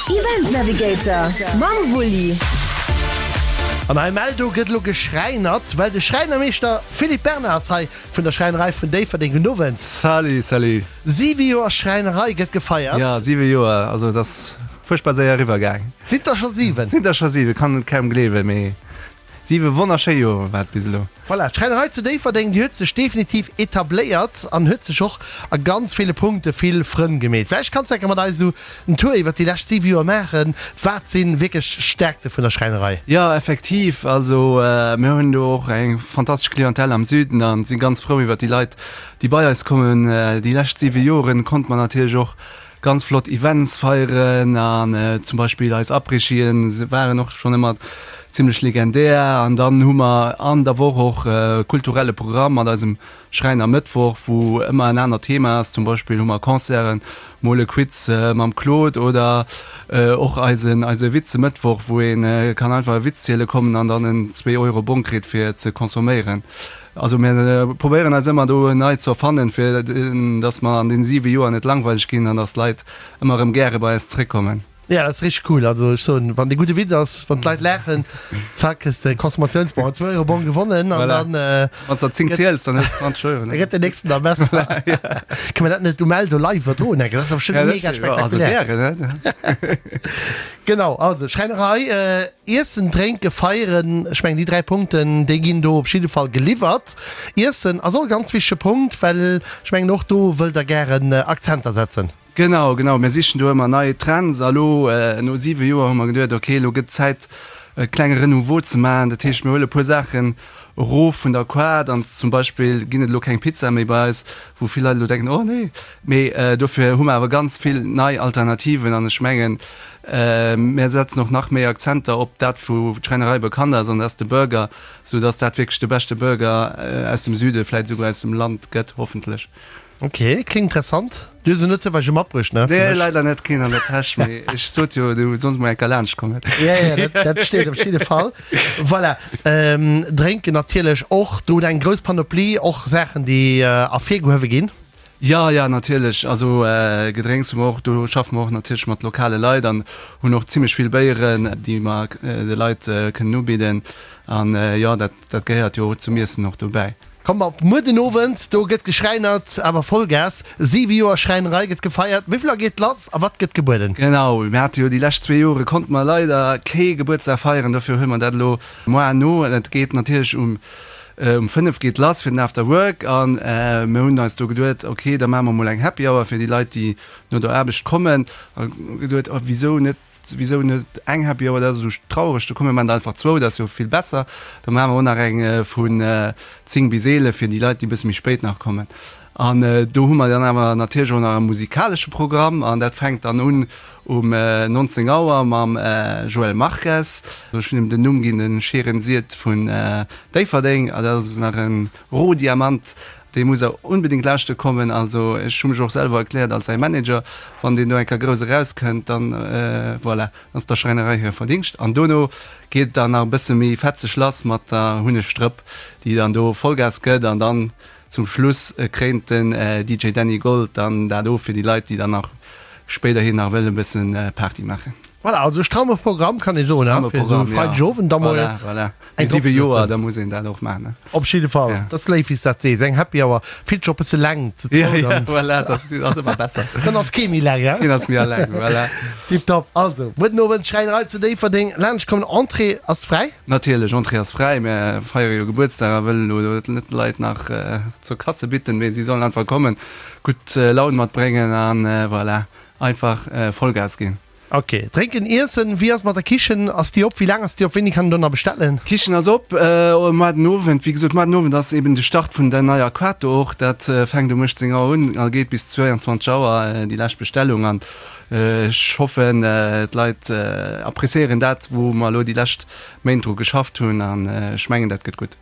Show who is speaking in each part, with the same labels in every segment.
Speaker 1: Event Navigator mam Wulli.
Speaker 2: An hei Mell, do gëtt elo geschräinert, well de Schräinermeeschter Philippe Bernard ass hei vun der Schräinerei vun Déifferdeng. Gudden Owend.
Speaker 3: Salut, salut.
Speaker 2: Siwe Joer Schräinerei gëtt gefeiert.
Speaker 3: Jo, siwe Joer, also et ass fuerchtbar séier eriwwer gaang.
Speaker 2: Sinn der scho siwen?
Speaker 3: Sinn der scho siwen, kann et kaum gleewen, mee siwe wonnerschéi Joer war et bis elo.
Speaker 2: Voilà, d'Schräinerei zu Déifferdeng, déi huet sech definitiv etabléiert an huet sech och a ganz ville Punkte vill Frënn gemeet. Vläicht kanns de enker mat eis esou en Tour iwwert déi lescht 7 Joer maachen. Wat si wierklech Stärkte vun der Schräinerei?
Speaker 3: Jo, effektiv. Also mir hunn do och eng fantastesch Clientèle am Süden a si ganz frou iwwert déi Leit, déi bei eis kommen. Déi lescht 7 Joren konnte mer natierlech och Ganz flott Events feieren an zum Beispill eis Après-Skien waren och schonn ëmmer zimmlech legendär. An dann hu mer an der Woch och e kulturelle Programm mat eisem Schräiner Mëttwoch, wou ëmmer en anert Thema ass. Zum Beispill hu mer Concerten, mol e Quiz mam Claude oder och eisen eise Witze-Mëttwoch, wou ee kann einfach e Witz ziele kommen an dann en Zwee-Euro-Bong kritt fir ze consomméieren. Also mir probéieren eis ëmmer do nei ze erfannen, fir datt mer an den 7 Joer net langweileg ginn an datt d'Leit ëmmer erëm gäre bei eis zeréckkommen.
Speaker 2: Jo, dat ass richteg cool. Also ech soen, wann dee gudde Witz ass, wann d'Leit laachen, zack, hues de Consommatiounsbon, en 2 Euro Bon gewonnen an
Speaker 3: dann. Wann s der 10 ziels, dann hues de 20 Euro.
Speaker 2: Da gëtt den nächsten da besser. Kënne mer dat net um Eldo live iwwerdroen enke? Dat ass doch bestimmt mega spektakulär.
Speaker 3: Also gären, ne?
Speaker 2: Genau, also Schräinerei. Iessen, drénke, feieren, ech mengen déi 3 Punkten, déi ginn do op jidde Fall geliwwert. Iessen ass och e ganz wichtege Punkt, well ech mengen och do wëllt Der gären Akzenter setzen.
Speaker 3: Genau, genau, mir sichen do ëmmer nei Trends a lo no 7 Joer hu mer geduet, ok, elo gëtt Zäit e klenge Renouveau ze maachen. Dat heescht, mir huele puer Saachen erof vun der Kaart an zum Beispill ginn et elo keng Pizza méi bei eis, wou vill Leit elo denken, oh nee, mee dofir hu mer awer ganz vill nei Alternativen an ech mengen, Mär setzen och nach méi Akzenter op dat, wou d'Schräinerei bekannt ass, an dat ass de Burger, sou dass dat wierklech de beschte Burger aus dem Süde, vläit esouguer aus dem Land gëtt, hoffentlech.
Speaker 2: Ok, kléngt interessant. Du hues en net zoufälleg e matbruecht, ne?
Speaker 3: Nee, leider net, keen an der Täsch, mee ech sot jo, du solls mol eng Kéier laanscht kommen.
Speaker 2: Ja, ja, dat, dat steet op jidde Fall. Voilà. Drénken natierlech och. Do hutt eng grouss Panoplie, och Saachen, déi ervirgehuewe ginn.
Speaker 3: Jo, jo, natierlech. Also Gedrénks hu mer och. Do schaffe mer och natierlech mat lokale Leit an hunn och zimmlech vill Béieren, déi mer de Leit kënnen ubidden. An jo, dat, dat gehéiert jo zum Iessen och dobäi.
Speaker 2: Kommt mer op muer den Owend, do gëtt geschräinert, awer Vollgas. 7 Joer Schräinerei gëtt gefeiert. Wéi vill Auer geet lass a wat gëtt gebueden?
Speaker 3: Genau, mir hate jo déi lescht zwee Jore konnte mer leider kee Gebuertsdag feieren, dofir huele mer dat elo moar no. Et geet natierlech um Um 5 geet lass fir den After Work an mir hunn eis do geduet, ok, da maache mer mol eng Happy Hour fir déi Leit, déi no der Aarbecht kommen. A geduet, oh wisou net, wisou net eng Happy Hour, dat ass esou traureg, do komm mir maachen der einfach zwou, dat ass jo vill besser. Da maache mer och nach eng vun 10 bis 11 fir déi Leit, déi e bësse méi spéit nach kommen. An do hu mer dann awer natierlech och nach e musikalesche Programm an dat fänkt dann un um 19 Auer mam Joël Marques. Ech hunn him den Numm ginn, de Scheeren Siet vun Déifferdeng. A dat ass nach e Rohdiamant, dee muss der onbedéngt lauschte kommen. Also ech hu mech och selwer erkläert als säi Manager. Wann deen do eng Kéier grouss erauskënnt, dann voilà, ass der Schräinerei hire Verdingscht. An dono geet et dann nach e bësse méi fetzeg lass mat der Hunnegstrëpp, déi dann do Vollgas gëtt an dann Zum Schluss kréint den DJ Dany Gold dann dat of fir déi Leit, déi dann nach spéiderhin nach wëllen e bëssen Party maachen.
Speaker 2: Voilà, also e stramme Programm kann ee soen,
Speaker 3: he, fir esou e
Speaker 2: Freideg Owend da mol
Speaker 3: Voilà, voilà. eng No 7 Joer, da muss een dat och maachen, ne?
Speaker 2: Op jidde Fall, dat ass léif wéi s dat sees. Eng Happy Hour fillt sech och bësse laang
Speaker 3: ze zwou dann. Ja, voilà, dat ass ëmmer besser.
Speaker 2: Dann ass kee méi eleng, he?
Speaker 3: Keen ass méi eleng, voilà.
Speaker 2: Tiptop. Also, muer den Owend Schräinerei zu Déifferdeng, laanscht kommen, Entrée ass fräi?
Speaker 3: Natierlech, Entrée ass fräi. Mär feiere jo Gebuertsdag a wëllen elo net d'Leit nach zur Kasse bitten, mee si sollen einfach kommen, gutt Laun matbréngen an voilà, einfach Vollgas ginn.
Speaker 2: Ok, drénken, iessen, wéi ass et mat der Kichen? Ass déi op? Wéi laang ass déi op? Wéini kann een do nach bestellen?
Speaker 3: D'Kichen ass op muar den Owend. Wéi gesot, muar den Owend ass eben de Start vun der neier Quato och. Dat fänkt um 18 Auer un a geet bis 22 Auer, déi lescht Bestellung. An Ech hoffen d'Leit appréciéieren dat wou mer elo déi lescht Méint dru geschafft hunn an ech mengen dat gëtt gutt.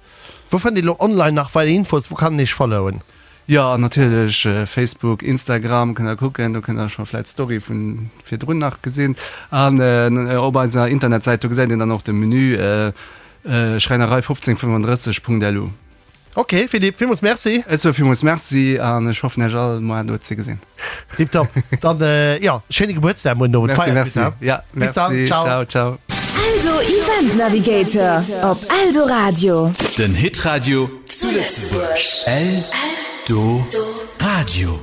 Speaker 2: Wou fënnt een elo online nach weider Infos? Wou kann een iech followen?
Speaker 3: Jo natierlech Facebook, Instagram kënnt der kucken, do kënnt der scho vläit d'Story vun virdrun nach gesinn an op eiser Internetsäit do gesäit een dann och de Menü, schräinerei 1535.lu.
Speaker 2: Ok Philippe, villmools Merci.
Speaker 3: Ech soe villmools Merci an ech hoffen Iech all moar do ze gesinn.
Speaker 2: Tiptop. Dann jo, schéine Gebuertsdag muer den Owend.
Speaker 3: Merci, merci. Ja,
Speaker 2: Bis dann,
Speaker 3: merci.
Speaker 2: ciao.
Speaker 3: Ciao, ciao.
Speaker 1: Eldo Event Navigator op Eldoradio.
Speaker 4: Den Hitradio zu Lëtzebuerg. Eldoradio.